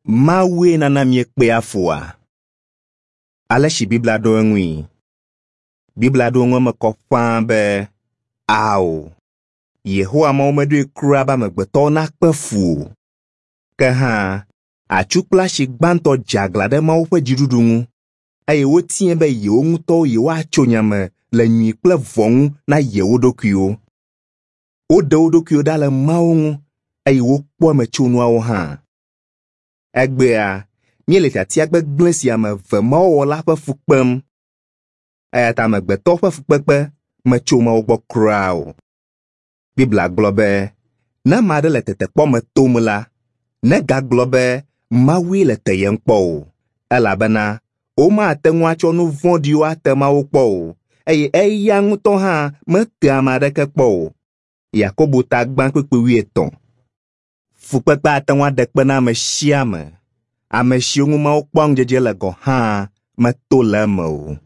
Mawue nana míekpea fua? Ale si Biblia ɖo eŋui. Biblia ɖo eŋu eme kɔ ƒãa be, ao. Yehowa Mawu meɖoe kura be amegbetɔwo nakpe fu o. Ke hã, atsu kple asi gbãtɔ dze aglã ɖe Mawu ƒe dziɖuɖu ŋu eye wotiae be yewo ŋutɔwo yewoatso nya me le nyui kple vɔ̃ ŋu na yewo ɖokuiwo. Woɖe wo ɖokuiwo ɖa le Mawu ŋu eye wokpɔ emetsonuawo hã. Egbea, míele tiatia gbegblẽ si ame eve mawo wɔ la ƒe fu kpem. Eya ta amegbetɔ ƒe fukpekpe metso Mawu gbɔ kura o. Biblia gblɔ be, ne ame aɖe le tetekpɔ me tom la, negagblɔ be Mawue le teyem kpɔ o, elabena womate ŋu atsɔ nu vɔ̃ɖiwo ate Mawu kpɔ o, eye eya ŋutɔ hã metea ame aɖeke kpɔ o. Yakobo ta gbã kpukpui wuietɔ̃. Fukpekpe ate ŋu aɖe kpe na ame sia ame. Ame siwo ŋu Mawu kpɔa ŋudzedze le gɔ̃ hã meto le eme o.